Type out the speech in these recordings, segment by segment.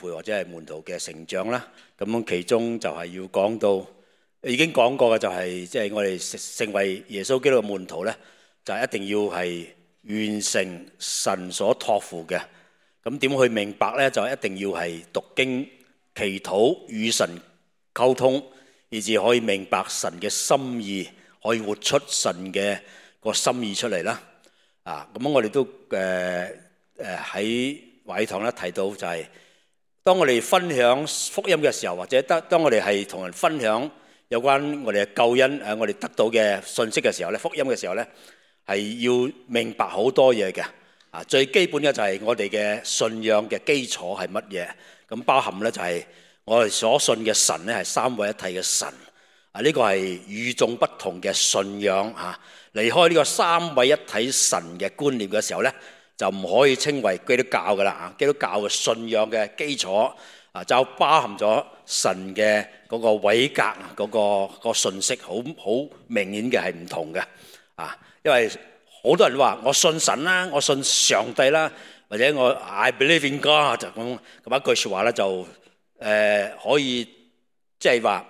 培或者係門徒嘅成長啦。咁其中就係要講到已經講過嘅就係即係我哋成為耶穌基督嘅門徒咧，就一定要係完成神所託付嘅。咁點去明白咧？就一定要係讀經、祈禱、與神溝通，以至可以明白神嘅心意，可以活出神嘅個心意出嚟啦。咁我哋都喺華語堂咧提到就係，當我哋分享福音嘅時候，或者當我哋係同人分享有關我哋嘅救恩我哋得到嘅信息嘅時候咧，福音嘅時候咧，係要明白好多嘢嘅。最基本嘅就係我哋嘅信仰嘅基礎係乜嘢？咁包含咧就係我哋所信嘅神咧係三位一體嘅神。呢個係與眾不同嘅信仰嚇。離開呢個三位一體神嘅觀念嘅時候咧，就唔可以稱為基督教噶啦。基督教嘅信仰嘅基礎就包含咗神嘅嗰個位格嗰個信息，好明顯嘅係唔同嘅。因為好多人話我信神啦，我信上帝啦，或者我 I believe in God 就咁一句説話咧，就可以即係話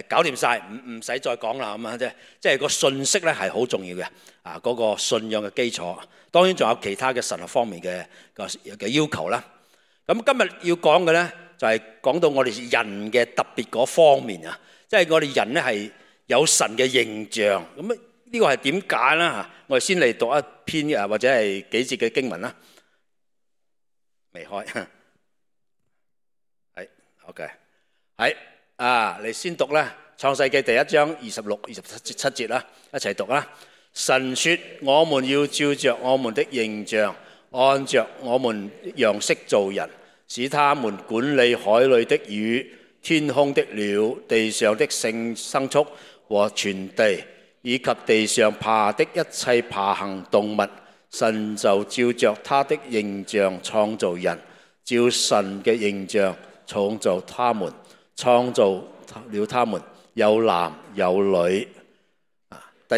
搞掂晒，唔使再講啦咁啊！即係個信息咧係好重要嘅嗰個信仰嘅基礎。當然仲有其他嘅神學方面嘅要求啦。咁今日要講嘅咧就係講到我哋人嘅特別嗰方面啊，即係我哋人咧係有神嘅形象。咁呢個係點解咧？我哋先嚟讀一篇或者係幾節嘅經文啦。未開，係 OK， 係你先讀啦，《創世記》第1章26、27節啦，一齊讀啦。神說：我們要照着我們的形象，按着我們樣式造人，使他們管理海裏的魚、天空的鳥、地上的牲畜和全地，以及地上爬的一切爬行動物。神就照着他的形象創造人，照神嘅形象創造他們，創造了他們，有男有女。第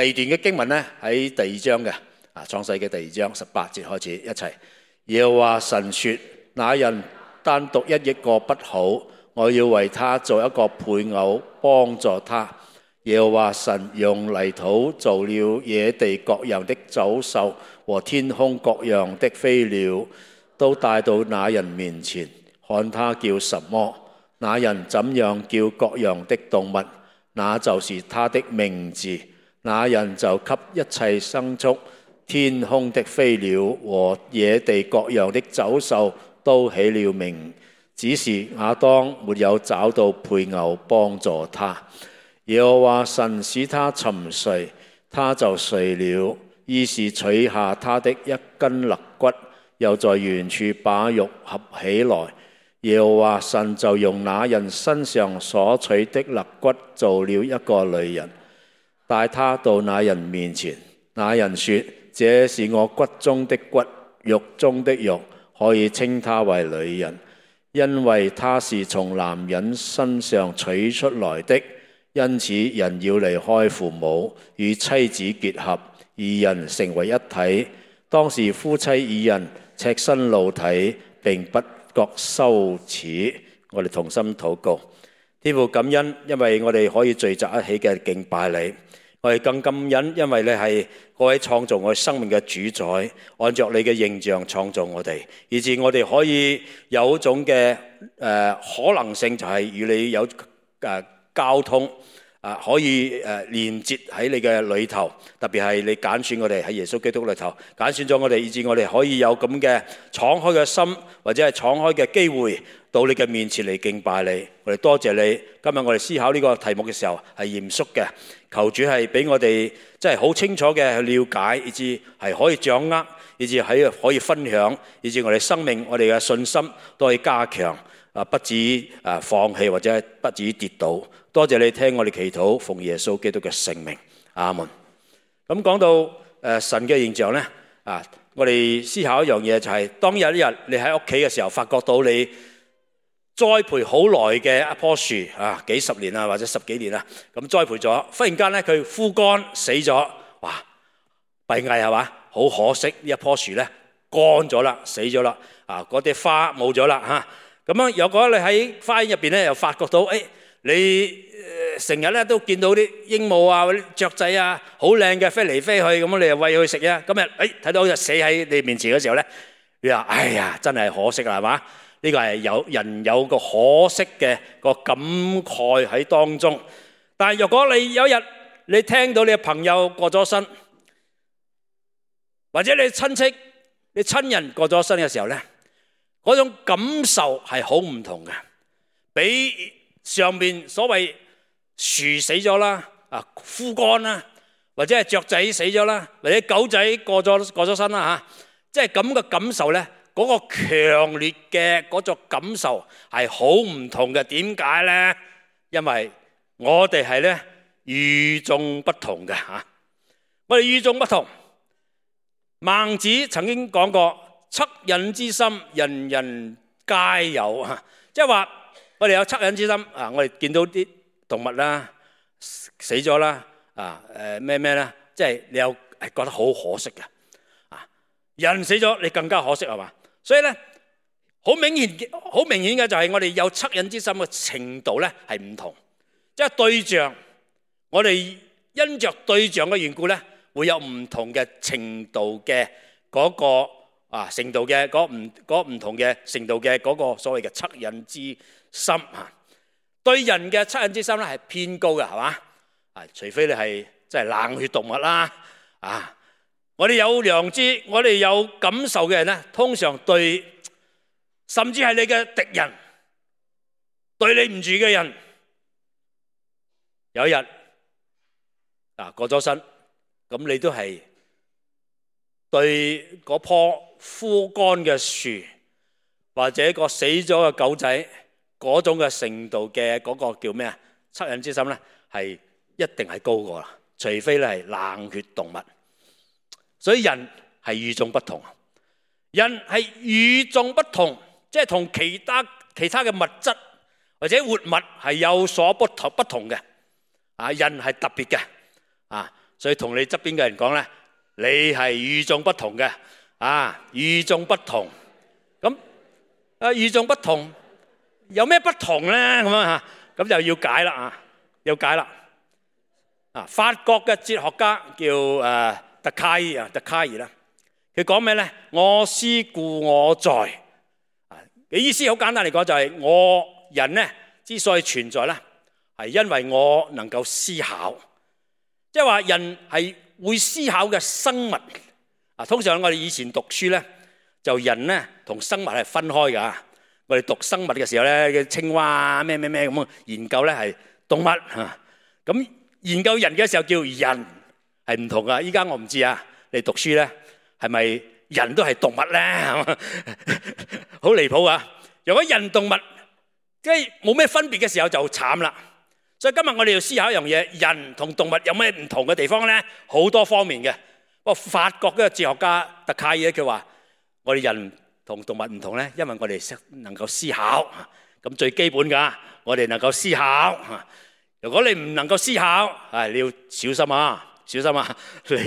二段嘅經文咧喺第2章嘅創世記第2章18節開始一齊。耶和華神說：那人單獨一個不好，我要為他做一個配偶幫助他。耶和華神用泥土造了野地各樣的走獸和天空各樣的飛鳥，都帶到那人面前，看他叫什麼，那人怎樣叫各樣的動物，那就是他的名字。那人就給一切牲畜、天空的飛鳥和野地各樣的走獸都起了名，只是亞當沒有找到配偶幫助他。耶和華神使他沉睡，他就睡了，於是取下他的一根肋骨，又在原處把肉合起來。耶和華神就用那人身上所取的肋骨做了一個女人，帶他到那人面前。那人說：這是我骨中的骨，肉中的肉，可以稱他為女人，因為他是從男人身上取出來的。因此人要離開父母，與妻子結合，二人成為一體。當時夫妻二人赤身露體，並不覺羞恥。我哋同心禱告。天父，感恩，因為我哋可以聚集一起嘅敬拜你。我哋更感恩，因為你係嗰位創造我生命嘅主宰，按照你嘅形象創造我哋，以致我哋可以有一種嘅可能性，就係與你有交通可以連結喺你嘅裏頭，特別係你揀選我哋喺耶穌基督裏頭揀選咗我哋，以致我哋可以有咁嘅敞開嘅心，或者係敞開嘅機會到你嘅面前嚟敬拜你。我哋多謝你，今日我哋思考呢個題目嘅時候係嚴肅嘅，求主係俾我哋真係好清楚嘅去了解，以致係可以掌握，以致係可以分享，以致我哋生命我哋嘅信心都可以加強，不止放棄或者不止跌倒。多謝你聽我哋祈禱，奉耶穌基督嘅聖名，阿門。咁講到神嘅形象咧，我哋思考一樣嘢，就係當有一日你喺屋企嘅時候，發覺到你栽培好耐嘅一棵樹幾十年或者10幾年啦，咁栽培咗，忽然間咧佢枯乾死咗，哇！閉翳係嘛？好可惜呢一棵樹咧乾咗啦，死咗啦。嗰啲花冇咗啦嚇。咁樣如果你喺花園入邊咧，又發覺到你成日咧都見到啲鸚鵡啊、嗰啲雀仔啊，好靚嘅飛嚟飛去，咁你又餵佢食啊。今日睇到隻死喺你面前嘅時候咧，你話哎呀，真係可惜啦，係嘛？呢個係有人有個可惜嘅個感慨喺當中。但係如果你有一日你聽到你嘅朋友過咗身，或者你親戚、你親人過咗身嘅時候咧，嗰種感受係好唔同嘅，比上面所謂樹死咗啦、枯乾啦，或者係雀仔死咗啦，或者狗仔過咗身啦嚇，即係咁嘅感受咧，嗰個強烈嘅嗰種感受係好唔同嘅。點解咧？因為我哋係咧與眾不同嘅嚇，我哋與眾不同。孟子曾經講過：惻隱之心，人人皆有啊！即係話我哋有惻隱之心啊！我哋見到啲動物啦死咗啦咩啦，即係你有係覺得好可惜嘅啊！人死咗你更加可惜係嘛？所以咧好明顯嘅就係我哋有惻隱之心嘅程度咧係唔同，即係對象，我哋因着對象嘅緣故咧，會有唔同嘅程度嘅嗰個程度嘅嗰唔同嘅程度嘅嗰個所謂嘅惻隱之心啊。對人嘅惻隱之心咧係偏高嘅，係嘛？除非你係真係冷血動物啦我哋有良知、我哋有感受嘅人咧，通常對甚至係你嘅敵人、對你唔住嘅人，有一日過咗身，咁你都係對嗰棵枯乾嘅樹，或者個死咗嘅狗仔嗰種嘅程度嘅嗰個叫咩啊？惻隱之心咧，係一定係高過啦，除非你係冷血動物。所以人係與眾不同，人係與眾不同，即係同其他嘅物質或者活物係有所不同嘅人係特別嘅所以同你側邊嘅人講咧，你係與眾不同嘅與眾不同。咁與眾不同有咩不同咧？咁就要解啦要解啦法國嘅哲學家叫德卡爾啦，佢講咩咧？我思故我在嘅意思好簡單嚟講，就係我人咧之所以存在咧，係因為我能夠思考。即係話人係會思考嘅生物通常我哋以前讀書咧，就人咧同生物係分開㗎。我哋讀生物嘅時候咧，嘅青蛙咩咁研究咧係動物咁研究人嘅時候叫人，係唔同噶。依家我唔知你讀書咧係咪人都係動物咧？好離譜啊！如果人動物即係冇咩分別嘅時候就慘啦。所以今日我哋要思考一樣嘢，人同動物有咩唔同嘅地方咧？好多方面嘅。不過法國嘅哲學家德卡爾咧，佢話我哋人同動物唔同咧，因為我哋能夠思考。咁最基本噶，我哋能夠思考。如果你唔能夠思考，你要小心小心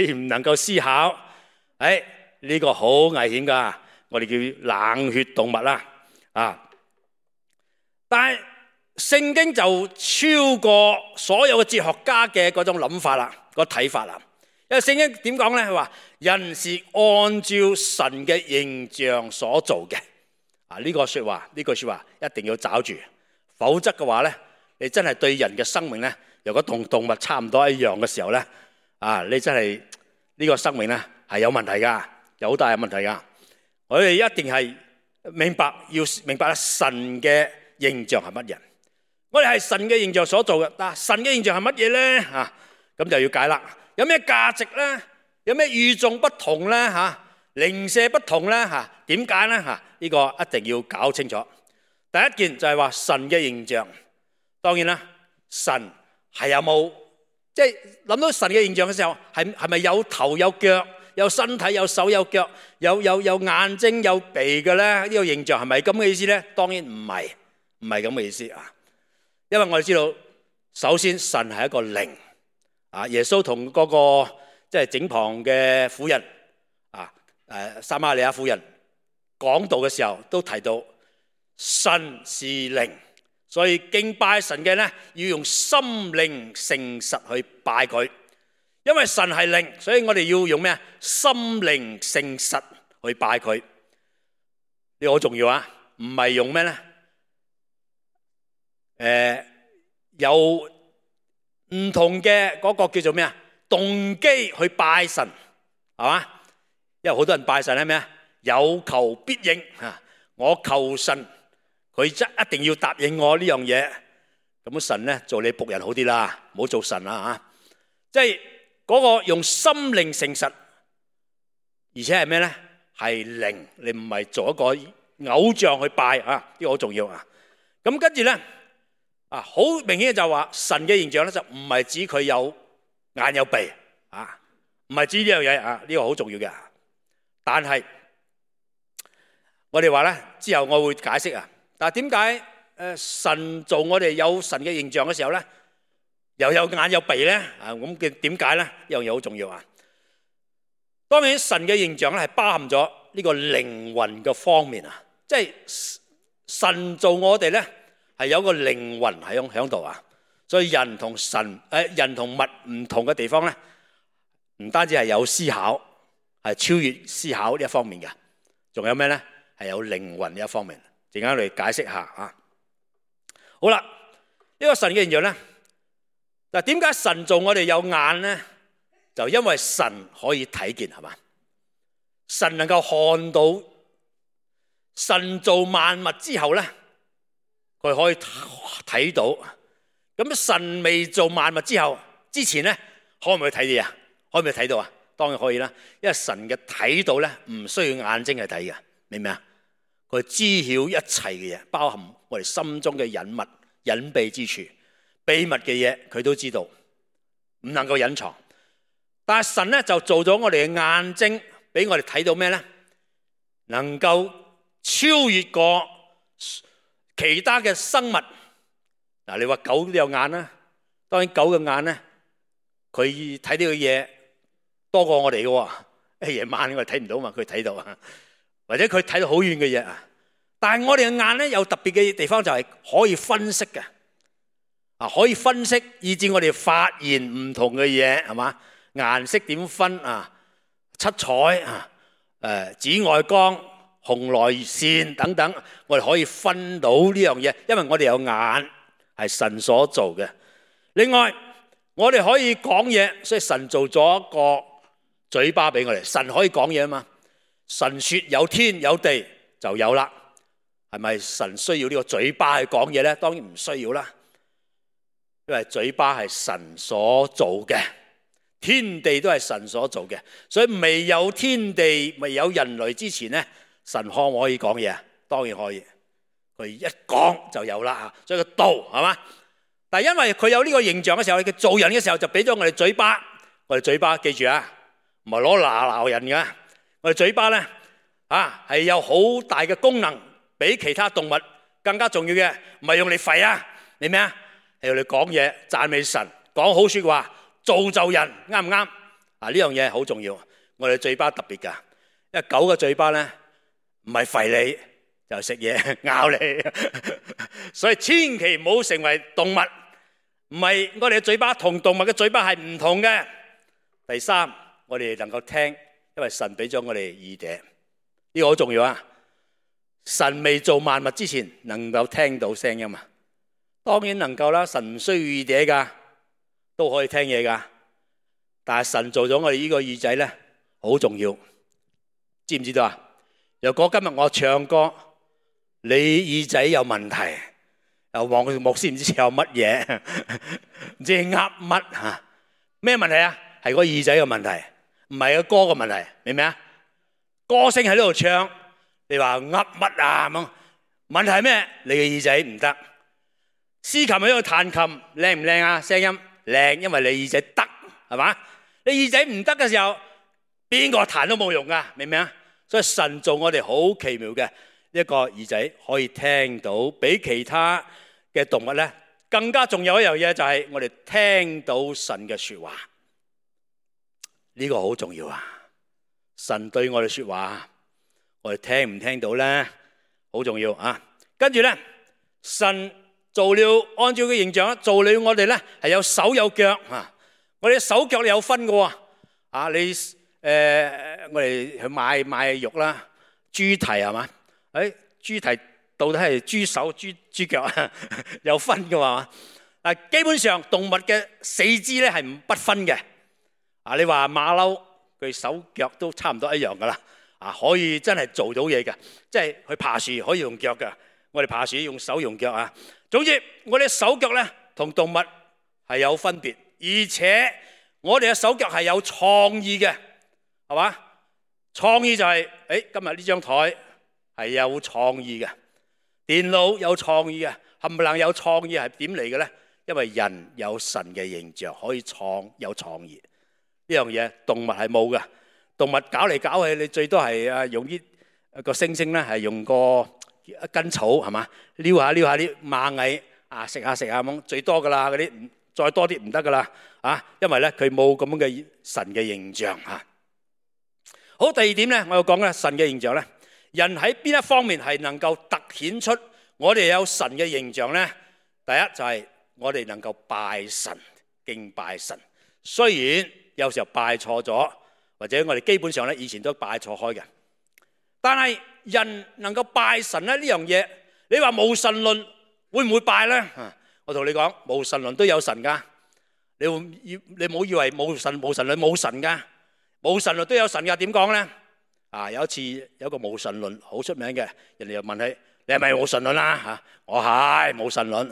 你唔能夠思考，呢個好危險噶。我哋叫冷血動物啦但係聖經就超過所有嘅哲學家嘅嗰種諗法啦，個睇法啦。因為聖經點講咧？佢話人是按照神嘅形象所做嘅。呢句說話一定要抓住，否則嘅話咧，你真係對人嘅生命咧，如果同動物差唔多一樣嘅時候咧，你真係呢個生命咧係有問題噶，有好大嘅問題噶。我哋一定係要明白神嘅形象係乜嘢。我哋係神嘅形象所做嘅，但神嘅形象係乜嘢咧？咁就要解啦。有咩價值咧？有咩與眾不同咧？零舍不同咧？點解咧？呢個一定要搞清楚。第一件就係話神嘅形象，當然啦，神係有冇即係諗到神嘅形象嘅時候，係咪有頭有腳、有身體、有手有腳、有眼睛有鼻嘅咧？呢個形象係咪咁嘅意思咧？當然唔係咁嘅意思因為我哋知道，首先神係一個靈耶穌同嗰個即係井旁嘅婦人撒瑪利亞婦人講道嘅時候都提到神是靈，所以敬拜神嘅呢要用心靈誠實去拜佢。因為神係靈，所以我哋要用咩？心靈誠實去拜佢。呢個好重要啊！唔係用咩呢？有唔同嘅嗰個叫做咩啊？動機去拜神，係嘛？因為好多人拜神係咩啊？有求必應啊！我求神，佢一定要答應我呢樣嘢。咁神咧做你僕人好啲啦，唔好做神啦嚇。即係嗰個用心靈誠實，而且係咩咧？係靈，你唔係做一個偶像去拜啊！呢個好重要啊！咁跟住咧好明顯就話神嘅形象咧就唔係指佢有眼有鼻啊，唔係指呢樣嘢啊，呢個好重要嘅。但係我哋話咧之後我會解釋啊。但係點解神做我哋有神嘅形象嘅時候咧，又有眼有鼻咧？咁嘅點解咧？呢樣嘢好重要啊！當然神嘅形象咧係包含咗呢個靈魂嘅方面啊，即係神做我哋咧係有個靈魂喺度啊。所以人同人同物唔同嘅地方咧，唔單止係有思考，係超越思考呢一方面嘅，仲有咩咧？係有靈魂呢一方面。陣間我哋解釋下啊。好啦，呢個神嘅形象咧，嗱，點解神做我哋有眼咧？就因為神可以睇見，係嘛？神能夠看到，神做萬物之後咧，佢可以睇到。咁神未做萬物之前咧，可唔可以睇到啊？可唔可以睇到啊？當然可以啦，因為神嘅睇到咧，唔需要眼睛去睇嘅，明唔明啊？佢知曉一切嘅嘢，包含我哋心中嘅隱密、隱秘之處、秘密嘅嘢，佢都知道，唔能夠隱藏。但係神咧就做咗我哋嘅眼睛，俾我哋睇到咩咧？能夠超越過其他嘅生物。嗱，你話狗都有眼啦，當然狗嘅眼咧，佢睇到嘅嘢多過我哋嘅。夜晚我哋睇唔到嘛，佢睇到啊，或者佢睇到好遠嘅嘢啊。但係我哋嘅眼咧有特別嘅地方，就係可以分析嘅，可以分析，以致我哋發現唔同嘅嘢，係嘛？顏色點分啊？七彩啊，紫外光、紅外線等等，我哋可以分到呢樣嘢，因為我哋有眼。係神所做嘅。另外，我哋可以講嘢，所以神做咗一個嘴巴俾我哋。神可以講嘢啊嘛。神說有天有地就有啦。係咪神需要呢個嘴巴去講嘢咧？當然唔需要啦，因為嘴巴係神所做嘅，天地都係神所做嘅。所以未有天地、未有人類之前咧，神可唔可以講嘢啊？當然可以。佢一講就有啦，所以個道係嘛？但係因為佢有呢個形象嘅時候，佢做人嘅時候就俾咗我哋嘴巴。我哋嘴巴記住啊，唔係攞鬧人嘅。我哋嘴巴咧係有好大嘅功能，比其他動物更加重要嘅。唔係用嚟吠啊，你咩啊？係用嚟講嘢、讚美神、講好說話、造就人，啱唔啱？呢樣嘢好重要。我哋嘴巴特別㗎，因為狗嘅嘴巴咧唔係吠你。就食嘢咬你，所以千祈唔好成為動物。唔係，我哋嘅嘴巴同動物嘅嘴巴係唔同嘅。第三，我哋能夠聽，因為神俾咗我哋耳朵，呢個好重要啊！神未做萬物之前，能夠聽到聲音嘛？當然能夠啦，神唔需要耳朵噶，都可以聽嘢噶。但係神做咗我哋呢個耳仔咧，好重要，知唔知道啊？如果今日我唱歌，你耳仔有問題，又望佢牧師唔知有乜嘢，唔知噏乜嚇？咩問題啊？係個耳仔嘅問題，唔係個歌嘅問題，明唔明啊？歌星喺呢度唱，你話噏乜啊咁？問題係咩？你嘅耳仔唔得。司琴喺度彈琴，靚唔靚啊？聲音靚，因為你耳仔得，係嘛？你耳仔唔得嘅時候，邊個彈都冇用噶，明唔明啊？所以神做我哋好奇妙嘅。一個耳仔可以聽到，比其他嘅動物咧更加重要一樣嘢，就係我哋聽到神嘅說話。呢個好重要啊！神對我哋說話，我哋聽唔聽到咧？好重要啊！跟住咧，神做了按照佢形象做了我哋咧，係有手有腳啊！我哋手腳有分嘅喎啊！你我哋去買肉啦，豬蹄係嘛？豬蹄到底係豬手、豬腳啊？有分嘅嘛？基本上動物嘅四肢咧係不分嘅。你話馬騮佢手腳都差唔多一樣噶啦。可以真係做到嘢嘅，即係去爬樹可以用腳嘅。我哋爬樹用手用腳啊。總之，我哋手腳咧同動物係有分別，而且我哋嘅手腳係有創意嘅，係嘛？創意就係今日呢張台係有創意嘅，電腦有創意嘅，冚唪唥有創意係點嚟嘅咧？因為人有神嘅形象，可以有創意呢樣嘢，動物係冇嘅。動物搞嚟搞去，你最多係用啲個猩猩咧，係用個一根草係嘛，撩下啲螞蟻食下咁，最多噶啦，嗰啲再多啲唔得噶啦因為咧佢冇咁樣嘅神嘅形象好，第二點咧，我要講咧神嘅形象咧，人喺邊一方面係能夠突顯出我哋有神嘅形象咧？第一就係我哋能夠拜神、敬拜神，雖然有時候拜錯咗。或者我哋基本上咧以前都拜錯開嘅，但係人能夠拜神咧呢樣嘢，你話無神論會唔會拜咧？我同你講，無神論都有神噶，你唔好以為無神論冇神噶，無神論都有神噶。點講咧？有一次有個無神論好出名嘅，人哋又問佢：你係咪無神論啊？我係無神論，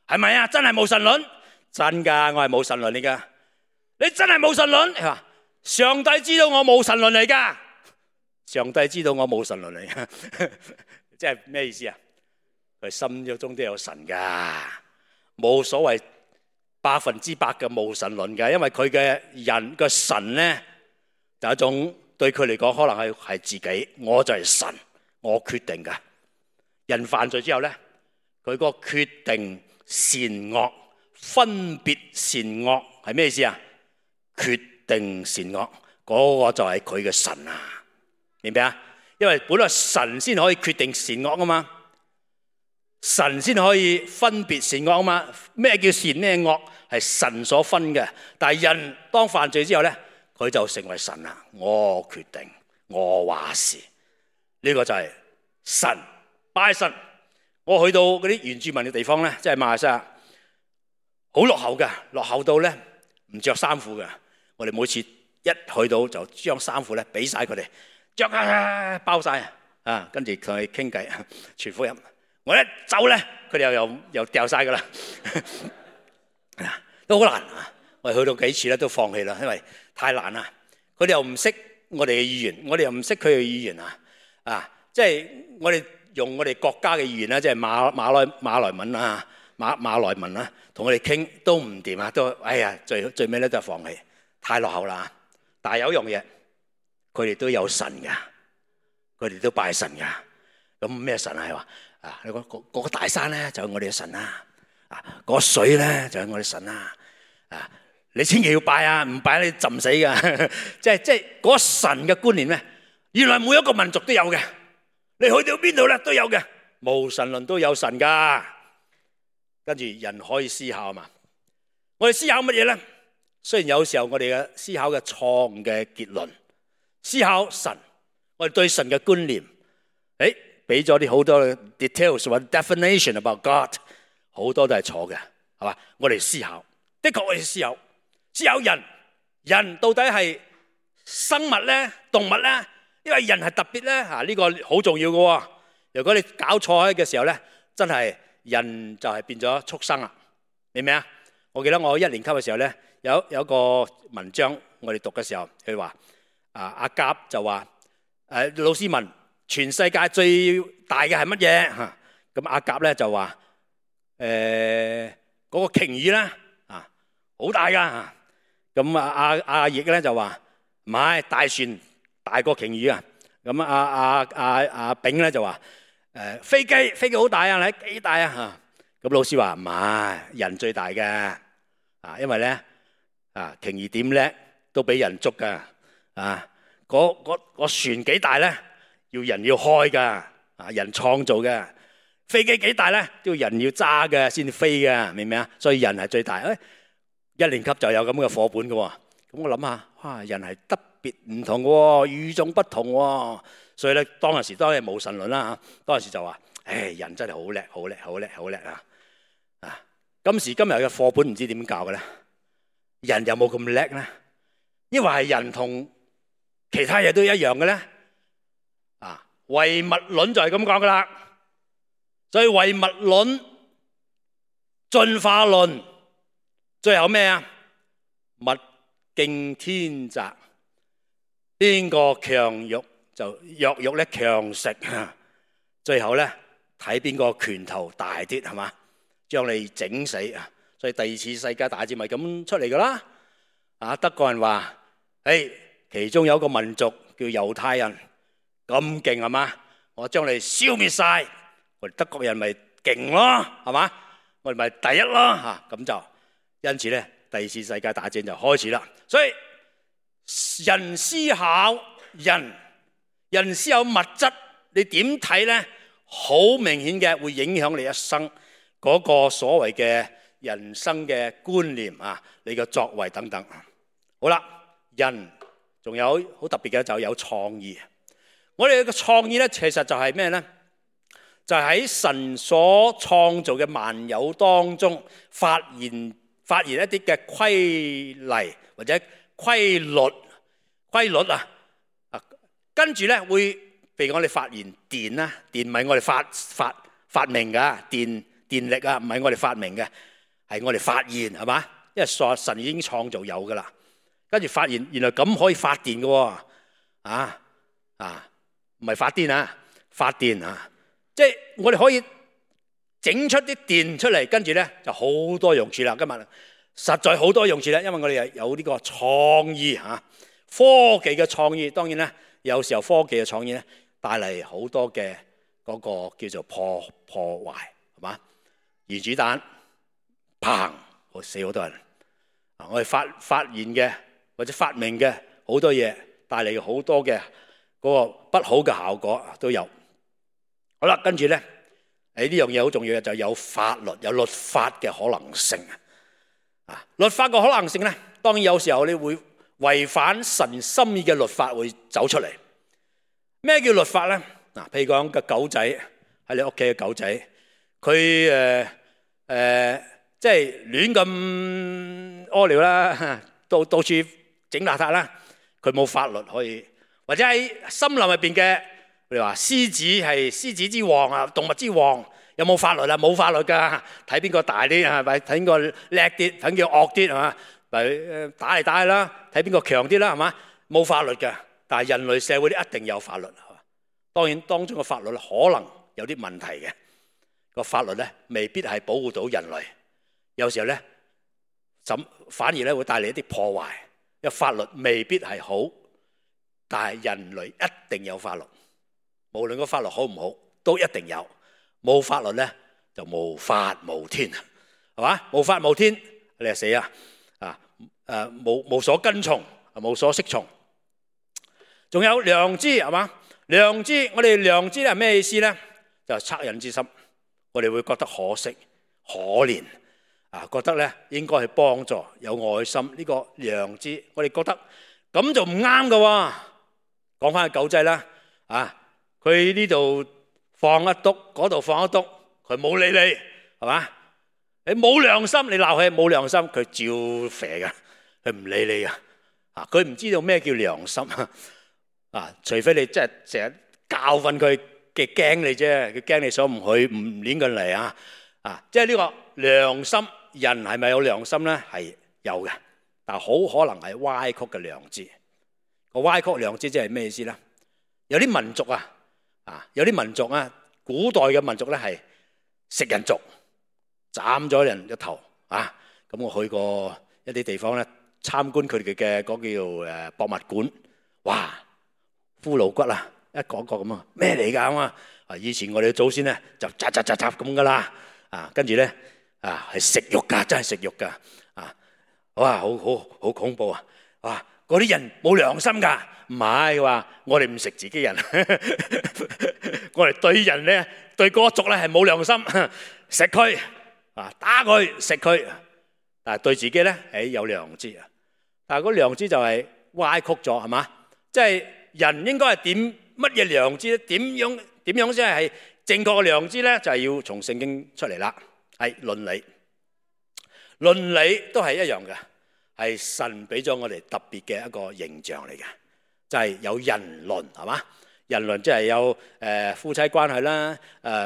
係咪啊？真係無神論？真噶，我係無神論嚟噶。你真係無神論？係嘛？上帝知道我冇神論嚟噶，上帝知道我冇神論嚟噶，即係咩意思啊？佢心中都有神噶，冇所謂100%嘅冇神論噶，因為佢嘅人嘅神咧，就一種對佢嚟講可能係自己，我就係神，我決定噶。人犯罪之後咧，佢個決定善惡、分別善惡係咩意思啊？決定善惡嗰個就係佢嘅神啊，明唔明啊？因為本來神先可以決定善惡啊嘛，神先可以分別善惡啊嘛。咩叫善咩惡係神所分嘅，但係人當犯罪之後咧，佢就成為神啦。我決定，我話事，呢個就係神拜神。我去到嗰啲原住民嘅地方咧，即係馬來西亞，好落後嘅，落後到咧唔着衫褲嘅。我哋每次一去到就將衫褲咧俾晒佢哋，着包晒跟住同佢傾偈傳福音。我一走咧，佢哋又掉晒噶啦，都好難我哋去到幾次咧都放棄啦，因為太難啦。佢哋又唔識我哋嘅語言，我哋又唔識佢嘅語言即係我哋用我哋國家嘅語言啦，即係馬來文啊、馬來文啊，同佢哋傾都唔掂啊，都最尾咧都係放棄。太落後啦，但係有一樣嘢，佢哋都有神噶，佢哋都拜神噶。咁咩神啊？係話嗰個大山咧就係我哋嘅神啦，嗰個水咧就係我哋神啦。你千祈要拜啊，唔拜你浸死噶。即係嗰個神嘅觀念咧，原來每一個民族都有嘅。你去到邊度咧都有嘅，無神論都有神噶。跟住人可以思考嘛？我哋思考乜嘢咧？雖然有時候我哋嘅思考嘅錯誤嘅結論，思考神，我哋對神嘅觀念，俾咗啲好多 details 或者 definition about God， 好多都係錯嘅，係嘛？我哋思考，的確我哋思考人到底係生物咧、動物咧，因為人係特別咧，呢個好重要嘅。如果你搞錯嘅時候咧，真係人就係變咗畜生啦，明唔明啊？我記得我1年級嘅時候咧。有一個文章我哋讀嘅時候，佢話阿甲就話老師問全世界最大嘅係乜嘢？咁阿甲咧就話嗰個鯨魚啦，好大噶。咁阿奕咧就話唔係，大船大過鯨魚啊。咁阿丙咧就話飛機好大啊，你幾大啊？咁老師話唔係，人最大嘅因為咧。鯨魚點叻都俾人捉噶，個船幾大咧？人要開㗎，人創造嘅。飛機幾大咧？都要人要揸嘅先飛嘅，明唔明啊？所以人係最大。一年級就有咁嘅課本嘅喎。咁我諗下，人係特別唔同嘅喎，與眾不同喎。所以咧，當然係無神論啦。當時就話，人真係好叻，好叻，好叻，好叻啊！今時今日嘅課本唔知點教嘅咧，人有冇咁叻咧？因為係人同其他嘢都一樣嘅咧。唯物論就係咁講噶啦。所以唯物論、進化論，最後咩啊？物競天擇，邊個強肉就弱肉咧強食。最後咧睇邊個拳頭大啲，係嘛？將你整死啊！所以第二次世界大戰咪咁出嚟噶啦。德國人話：其中有一個民族叫猶太人，咁勁係嘛？我將你消滅晒。我哋德國人咪勁咯，係嘛？我哋咪第一咯，咁就因此咧，第二次世界大戰就開始啦。所以人思考人思考物質，你點睇咧？好明顯嘅會影響你一生嗰個所謂嘅人生嘅觀念啊，你嘅作為等等。好啦，人仲有好特別嘅就有創意。我哋嘅創意咧，其實就係咩咧？就喺神所創造嘅萬有當中，發現一啲嘅規例或者規律啊，跟住咧會譬如我哋發現電啦，電唔係我哋發明噶，電力啊唔係我哋發明嘅，係我哋發現，係嘛？因為神已經創造有噶啦，跟住發現原來咁可以發電嘅喎，唔係發癲啊，發電啊！即係我哋可以整出啲電出嚟，跟住咧就好多用處啦。今日實在好多用處啦，因為我哋有呢個創意嚇，科技嘅創意。當然咧，有時候科技嘅創意咧帶嚟好多嘅嗰個叫做破壞，係嘛？原子彈砰，死好多人。我哋發現嘅或者發明嘅好多嘢，帶嚟好多嘅嗰個不好嘅效果都有。好啦，跟住咧，呢樣嘢好重要嘅就有法律、有律法嘅可能性律法嘅可能性咧，當然有時候你會違反神心意嘅律法會走出嚟。咩叫律法咧？譬如講個狗仔喺你屋企嘅狗仔，佢即係亂咁屙尿啦，到處整邋遢啦，佢冇法律可以，或者喺森林入邊嘅。你話獅子係獅子之王啊，動物之王，有冇法律啊？冇法律噶，睇邊個大啲係咪？睇邊個叻啲，睇邊個惡啲係嘛？咪打嚟打去啦，睇邊個強啲啦係嘛？冇法律嘅，但係人類社會一定有法律係嘛？當然當中嘅法律可能有啲問題嘅，個法律咧未必係保護到人類，有時候咧反而咧會帶嚟一啲破壞。因為法律未必係好，但係人類一定有法律。無論個法律好唔好，都一定有。冇法律咧，就無法無天，係嘛？無法無天，你係死啊！無所跟從，無所適從。仲有良知，係嘛？良知，我哋良知係咩意思咧？就係惻隱之心。我哋會覺得可惜、可憐覺得咧應該去幫助，有愛心。呢個良知，我哋覺得咁就唔啱噶喎。講翻個狗仔啦，佢呢度放一篤，嗰度放一篤，佢冇理你，係嘛？你冇良心，你鬧佢冇良心，佢照肥噶，佢唔理你噶。佢唔知道咩叫良心除非你真係成日教訓佢嘅驚你啫，佢驚你所唔去唔攆佢嚟即係呢個良心，人係咪有良心咧？係有嘅，但係好可能係歪曲嘅良知。個歪曲良知即係咩意思咧？有啲民族有啲民族古代嘅民族咧係食人族，斬咗人個頭咁我去過一啲地方咧，參觀佢哋嘅嗰叫博物館，哇，骷髏骨一個個咁咩嚟㗎以前我哋嘅祖先咧就扎咁噶啦跟住咧係食肉㗎，真係食肉㗎哇，好恐怖哇，嗰啲人冇良心㗎，唔係話我哋唔食自己人，我哋對人咧對嗰個族咧係冇良心，食佢啊打佢食佢，但係對自己咧有良知啊，但係嗰良知就係歪曲咗係嘛？即係人應該係點乜嘢良知咧？點樣先係正確嘅良知咧？就係要從聖經出嚟啦，係倫理，倫理都係一樣嘅。係神俾咗我哋特別嘅一個形象嚟嘅，就係有人倫係嘛？人倫即係有夫妻關係啦，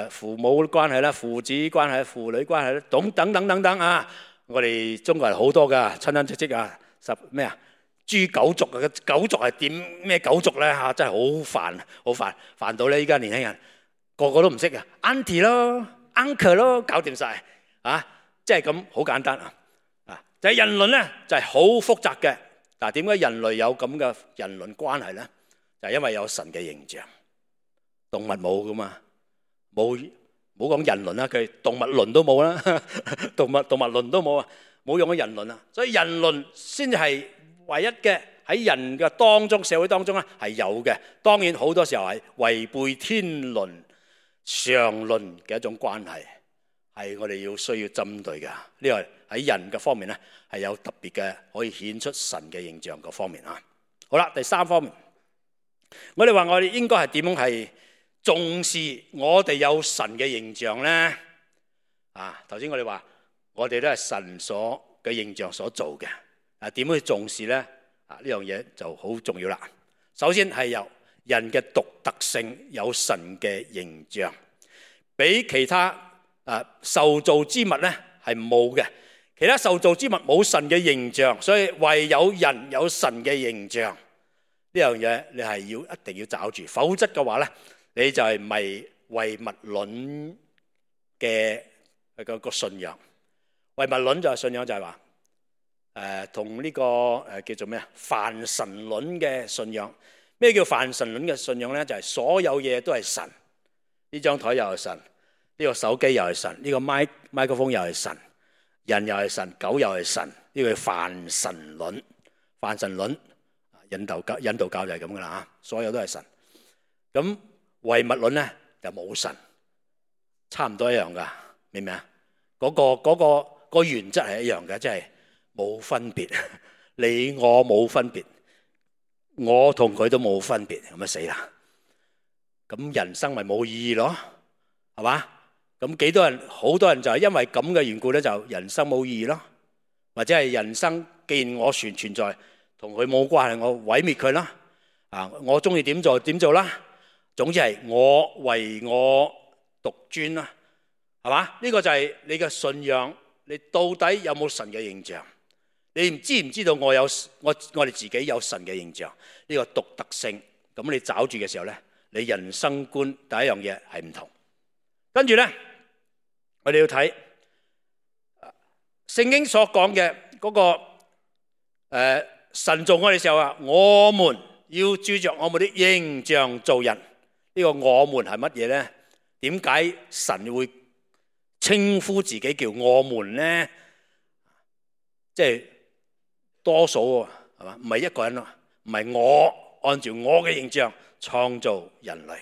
父母關係啦，父子關係、父女關係啦，等等啊！我哋中國人好多㗎親親戚戚啊，誅九族啊！九族係點咩九族咧嚇？真係好煩到咧！依家年輕人個個都唔識啊 ，auntie 咯 ，uncle 咯，搞掂晒啊！即係咁好簡單啊！就係人倫咧，就係好複雜嘅。嗱，點解人類有咁嘅人倫關係咧？就係因為有神嘅形象，動物冇噶嘛，冇講人倫啦，佢動物倫都冇啦，動物倫都冇啊，冇用咗人倫啊，所以人倫先至係唯一嘅喺人嘅當中、社會當中咧係有嘅。當然好多時候係違背天倫常倫嘅一種關係，係我哋要需要針對嘅。呢個喺人嘅方面咧，係有特別嘅可以顯出神嘅形象嗰方面啊。好啦，第三方面，我哋話我哋應該係點樣係重視我哋有神嘅形象咧？啊，頭先我哋話我哋都係神所嘅形象所做嘅，啊點樣去重視咧？啊呢樣嘢就好重要啦。首先係由人嘅獨特性有神嘅形象，比其他受造之物咧係冇嘅。其他受造之物冇神嘅形象，所以唯有人有神嘅形象。呢樣嘢你係一定要找住，否則嘅話咧，你就係咪唯物論嘅個信仰？唯物論就係信仰，就係話同呢個叫做咩啊？泛神論嘅信仰。咩叫泛神論嘅信仰咧？就係所有嘢都係神。呢張台又係神，呢個手機又係神，呢個麥克風又係神。人又係神，狗又係神，呢個係泛神論。泛神論，印度教就係咁噶啦嚇，所有都係神。咁唯物論咧就冇神，差唔多一樣噶，明唔明啊？嗰個原則係一樣嘅，即係冇分別，你我冇分別，我同佢都冇分別，咁啊死啦！咁人生咪冇意義咯，係嘛？咁好多人就係因為咁嘅緣故咧，就人生冇意義咯，或者係人生既然我存在，同佢冇關係，我毀滅佢啦。啊，我中意點做點做啦。總之係我為我獨尊啦，係嘛？呢個就係你嘅信仰，你到底有冇神嘅形象？你知唔知道我哋自己有神嘅形象？呢個獨特性，咁你找住嘅時候咧，你人生觀第一樣嘢係唔同。跟住咧。我哋要睇聖經所講嘅嗰個神造我哋嘅時候啊，我們要照着我們的形象造人。呢個我們係乜嘢咧？點解神會稱呼自己叫我們咧？即係多數係嘛？唔係一個人咯，唔係我按照我嘅形象創造人類，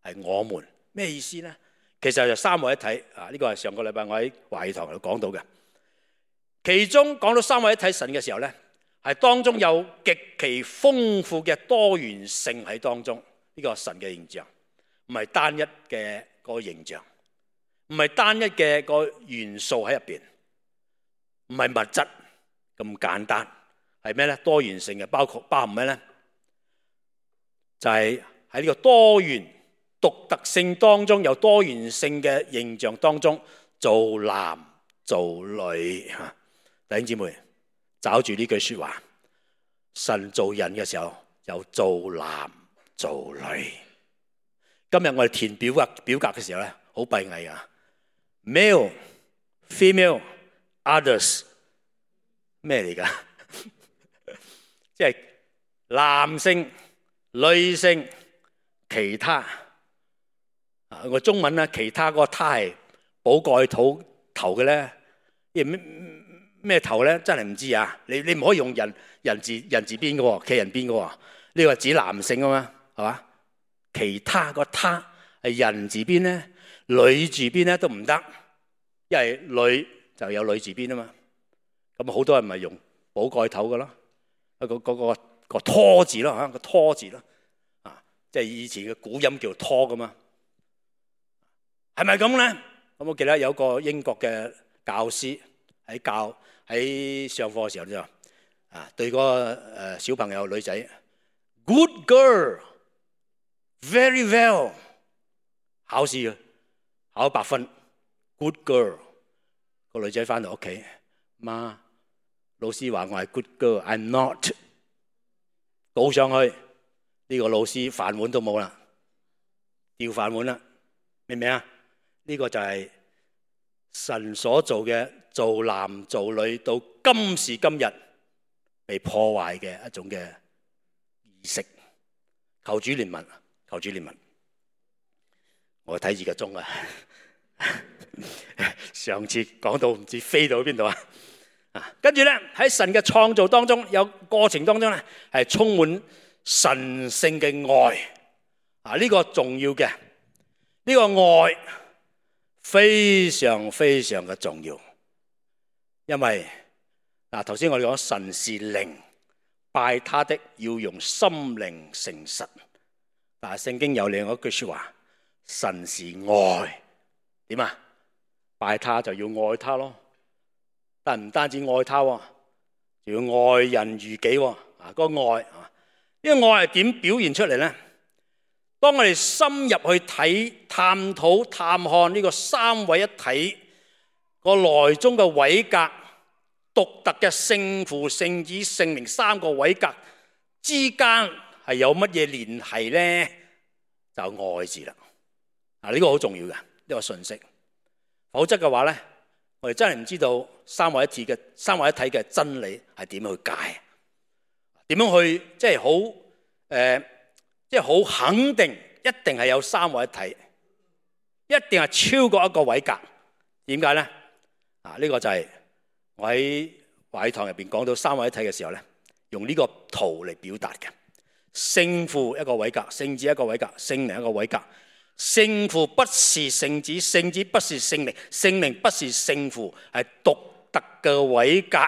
係我們。咩意思咧？其實就三位一體啊！呢個係上個禮拜我喺華語堂度講到嘅。其中講到三位一體神嘅時候咧，係當中有極其豐富嘅多元性喺當中。呢個神嘅形象唔係單一嘅個形象，唔係單一嘅個元素喺入邊，唔係物質咁簡單。係咩咧？多元性嘅包含咩咧？就係喺呢個多元獨特性當中，有多元性嘅形象當中，做男做女嚇。弟兄姊妹，找住呢句説話，神造人嘅時候有做男做女。今日我哋填表格嘅時候咧，好閉翳啊 ，male、female、others 咩嚟㗎？即係男性、女性、其他。個中文咧，其他嗰個他係寶蓋頭嘅咧，咩咩頭咧？真係唔知啊！你唔可以用人字邊嘅喎，企人邊嘅喎。呢個係指男性啊嘛，係嘛？其他個他係人字邊咧，女字邊咧都唔得，因為女就有女字邊啊嘛。咁好多人咪用寶蓋頭嘅咯，個拖字咯嚇，個拖字咯，啊，即係以前嘅古音叫拖噶嘛，係咪咁咧？咁我記得有個英國嘅教師喺上課嘅時候就對嗰個小朋友女仔 ，good girl，very well， 考試啊，考100分 ，good girl， 個女仔翻到屋企，媽，老師話我係 good girl，I'm not， 告上去，呢個老師飯碗都冇啦，掉飯碗啦，明唔明啊？呢個就係神所做嘅做男做女到今時今日被破壞嘅一種嘅儀式。求主憐憫，求主憐憫。我睇住個鐘啊，上次講到唔知飛到邊度啊！跟住咧喺神嘅創造當中，有過程當中咧係充滿神聖嘅愛呢個重要嘅，呢個愛非常非常嘅重要，因為頭先我哋講神是靈，拜他的要用心靈誠實。但係聖經有另外一句說話，神是愛，點啊？拜他就要愛他咯。但唔單止愛他，仲要愛人如己。嗰個愛，呢個愛係點表現出嚟咧？當我哋深入去睇、探討、探看呢個三位一體個內中嘅位格、獨特嘅聖父、聖子、聖靈三個位格之間係有乜嘢聯繫咧？就愛字啦。呢個好重要嘅呢個信息，否則嘅話咧，我哋真係唔知道三位一體嘅真理係點樣去解，點樣去即係好肯定一定係有三位一體，一定係超過一個位格。點解咧？呢個就係我喺華語堂入邊講到三位一體嘅時候咧，用呢個圖嚟表達嘅。聖父一個位格，聖子一個位格，聖靈一個位格。聖父不是聖子，聖子不是聖靈，聖靈不是聖父，係獨特嘅位格。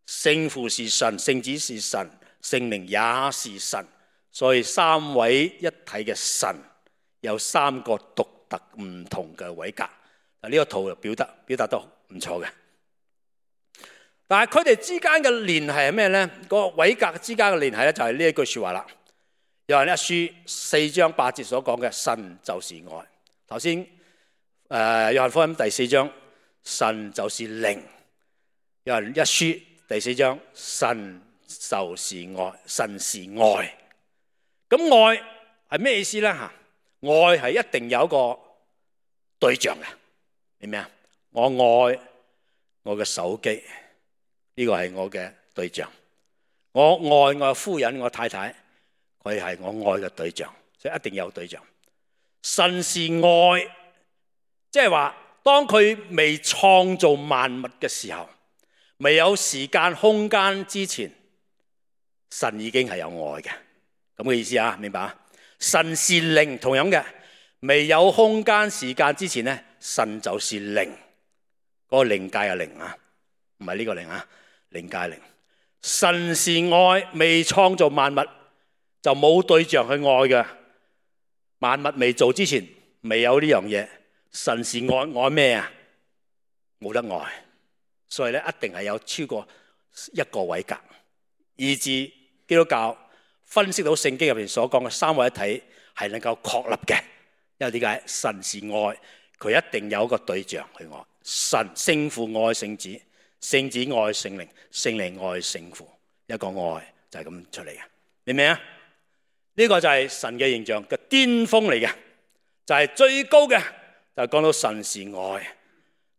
聖父是神，聖子是神，聖靈也是神，所以三位一體嘅神有三個獨特唔同嘅位格。呢個圖就表達得唔錯嘅。但係佢哋之間嘅聯繫係咩咧？個位格之間嘅聯繫咧，就係呢一句說話啦。約翰一書4章8節所講嘅神就是愛。頭先約翰福音第4章神就是靈。約翰一書第4章神就是愛，神是愛。咁愛係咩意思咧？愛係一定有一個對象嘅，明唔明啊？我愛我嘅手機，呢個係我嘅對象。我愛我夫人，我太太，佢係我愛嘅對象，所以一定有對象。神是愛，即係話當佢未創造萬物嘅時候，未有時間空間之前，神已經係有愛嘅，咁嘅意思啊？明白啊？神是靈，同樣嘅，未有空間時間之前咧，神就是靈，嗰個靈界嘅靈啊，唔係呢個靈啊，靈界靈。神是愛，未創造萬物就冇對象去愛嘅。萬物未做之前，未有呢樣嘢。神是愛，愛咩啊？冇得愛，所以咧一定係有超過一個位格，以致基督教分析到聖經入邊所講嘅三位一體係能夠確立嘅。因為點解？神是愛，佢一定有一個對象去愛。神聖父愛聖子，聖子愛聖靈，聖靈愛聖父，一個愛就係咁出嚟嘅，明唔明啊？呢個就係神嘅形象嘅巔峰嚟嘅，就係最高嘅，就係講到神是愛。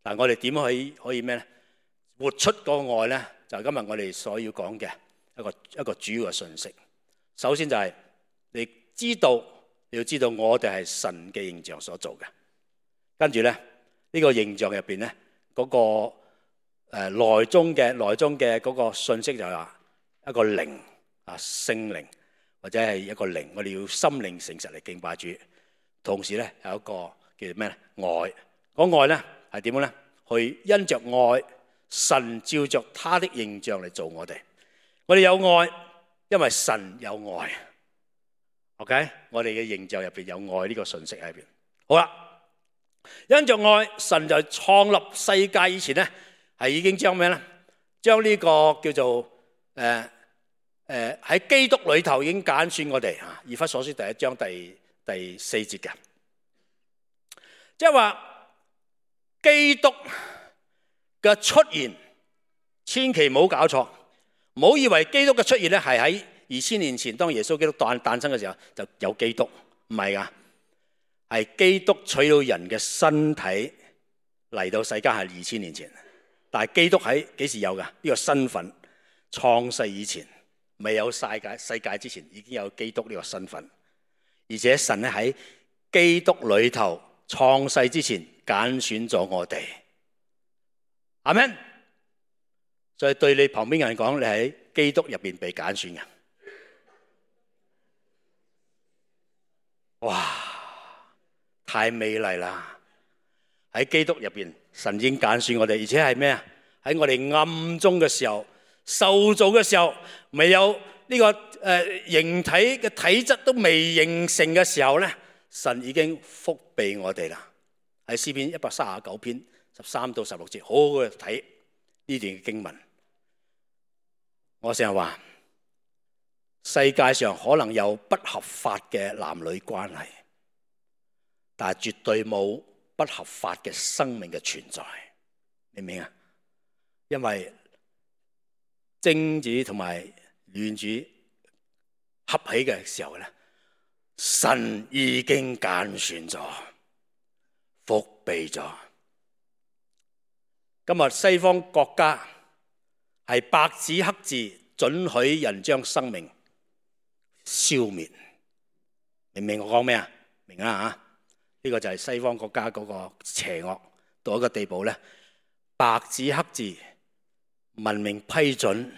但係我哋點可以咩咧？活出嗰個愛咧，就係今日我哋所要講嘅一個主要嘅信息。首先就係你要知道我哋係神嘅形象所做嘅。跟住咧，呢個形象入邊咧，嗰個內中嘅嗰個信息就係話一個靈聖靈或者係一個靈，我哋要心靈誠實嚟敬拜主。同時咧有一個叫做咩咧愛，嗰愛咧係點樣咧？去因着愛，神照着他的形象嚟做我哋。我哋有愛，因為神有愛。OK， 我哋嘅形象入邊有愛呢個信息喺入邊。好啦，因着愛，神就創立世界以前咧，係已經將咩咧？將呢個叫做喺基督裏頭已經揀選我哋啊。以弗所書第1章第4節嘅，即係話基督嘅出現，千祈唔好搞錯，唔好以為基督嘅出現咧係喺2000年前當耶穌基督誕生嘅時候就有基督，唔係噶，係基督取到人嘅身體嚟到世間係2000年前，但係基督喺幾時有噶？呢個身份創世以前，未有世界之前已經有基督呢個身份，而且神咧喺基督裏頭創世之前揀選咗我哋，阿們。所以對你旁邊嘅人講，你喺基督入邊被揀選嘅。哇，太美麗啦！喺基督入邊，神已經揀選我哋，而且係咩啊？喺我哋暗中嘅時候，受造嘅時候，未有呢個形體嘅體質都未形成嘅時候咧，神已經福庇我哋啦。喺詩篇139篇13到16節，好好去睇呢段嘅經文。我成日話，世界上可能有不合法嘅男女關係，但係絕對冇不合法嘅生命嘅存在，明唔明啊？因為精子同埋卵子合起嘅時候咧，神已經揀選咗，福庇咗。今日西方國家係白紙黑字准許人將生命消滅，明唔明我講咩啊？明啊嚇！呢個就係西方國家嗰個邪惡到一個地步咧，白紙黑字文明批准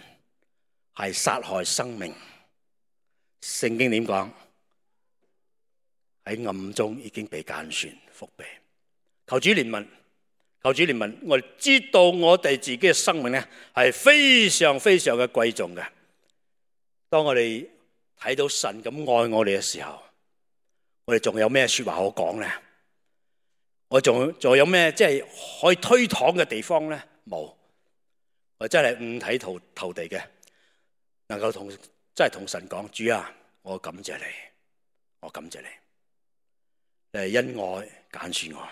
係殺害生命。聖經點講？喺暗中已經被揀選福庇，求主憐憫。求主憐憫，我哋知道我哋自己嘅生命咧係非常非常嘅貴重嘅。當我哋睇到神咁愛我哋嘅時候，我哋仲有咩說話可講咧？我仲有咩即係可以推搪嘅地方咧？冇，我真係五體投地嘅，能夠真係同神講：主啊，我感謝你，我感謝你，你係因愛揀選我。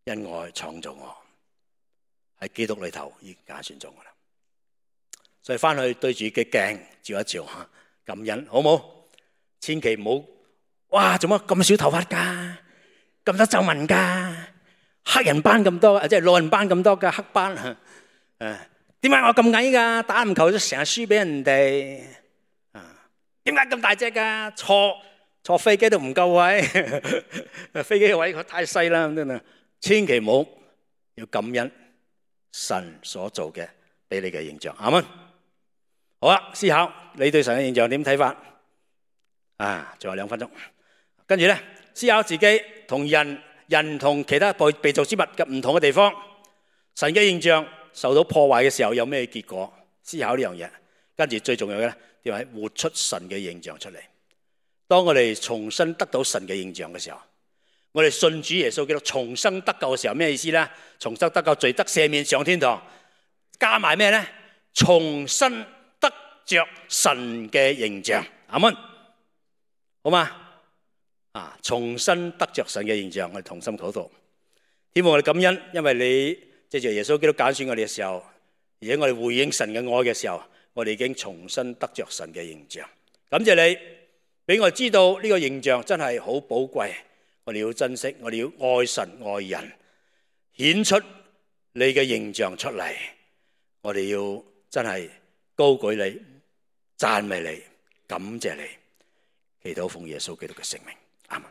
因愛創造我，喺基督裏頭已經揀選咗我啦。所以翻去對住嘅鏡照一照吓，感恩好冇？千祈唔好哇！做乜咁少頭髮噶？咁多皺紋噶？黑人斑咁多，即係老人斑咁多嘅黑斑。點解我咁矮噶？打籃球都成日輸俾人哋。點解咁大隻噶？坐飛機都唔夠位，飛機嘅位太細啦，真係。千祈唔好要感恩神所做嘅俾你嘅形象，啱唔啱？好啦，思考你對神嘅形象點睇法？仲有2分鐘，跟住咧思考自己同人同其他被造之物嘅唔同嘅地方，神嘅形象受到破壞嘅時候有咩結果？思考呢樣嘢，跟住最重要嘅咧，點係活出神嘅形象出嚟。當我哋重新得到神嘅形象嘅時候，我哋信主耶穌基督重生得救嘅時候，咩意思咧？重生得救，罪得赦免，上天堂，加埋咩咧？重新得着神嘅形象，阿們，好嘛？重新得着神嘅形象，我哋同心禱告。希望我哋感恩，因為你借住耶穌基督揀選我哋嘅時候，而且我哋回應神嘅愛嘅時候，我哋已經重新得着神嘅形象。感謝你俾我哋知道呢個形象真係好寶貴。我哋要珍惜，我哋要愛神愛人，顯出你嘅形象出嚟。我哋要真係高舉你、讚美你、感謝你，祈禱奉耶穌基督嘅聖名，阿們。